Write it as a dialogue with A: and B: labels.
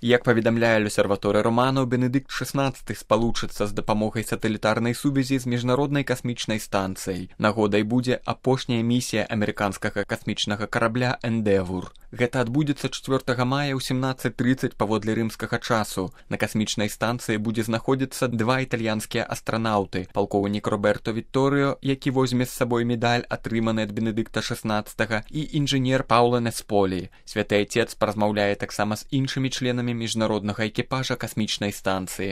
A: Як паведамляе L'Osservatore Romano, Бенедыкт XVI спалучыцца з дапамогай сатэлітарнай сувязі з міжнароднай касмічнай станцыяй. Нагодай будзе апошняя місія амерыканскага касмічнага карабля «Эндевур». Гэта адбудзецца 4 мая ў 17:30 паводле рымскага часу. На касмічнай станцыі будзе знаходзіцца 2 італьянскія астранаўты, палкоўнік Роберто Вітторыо, які возьме з сабой медаль, атрыманы ад Бенедыкта XVI, і інжынер Паўло Несполі. Святы Айцец паразмаўляе таксама з іншымі членамі міжнароднага экіпажа касмічнай станцыі.